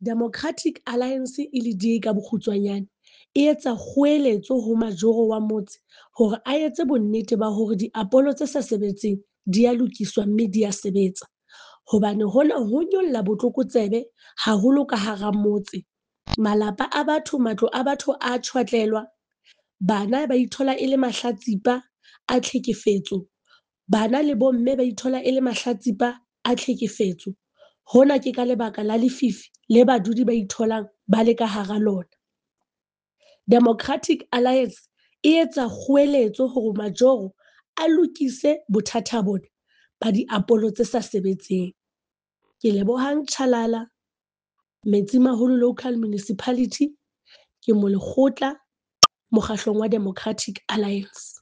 Democratic Alliance e le DA ka bokgutswanyane, e etsa kgoeletso ho majoro wa motse hore a etse bonnete ba hore diapolo tse sa sebetseng di a lokiswa mme di a sebetsa. Hobane hona ho nyolla botlokotsebe haholo ka hara motse. Malapa a batho, matlo a batho a tjhwatlelwa. Bana ba ithola e le mahlatsipa a tlhekefetso. Bana le bomme ba ithola e le mahlatsipa a tlhekefetso. Hona ke ka lebaka la lefifi le badudi ba itholang ba le ka hara lona. Democratic Alliance e etsa kgoeletso hore majoro a lokise bothata bona ba diapolo tse sa sebetseng. Ke Lebohang Chalala, Metsimaholo Local Municipality. Ke molekgotla mokgahlong wa Democratic Alliance.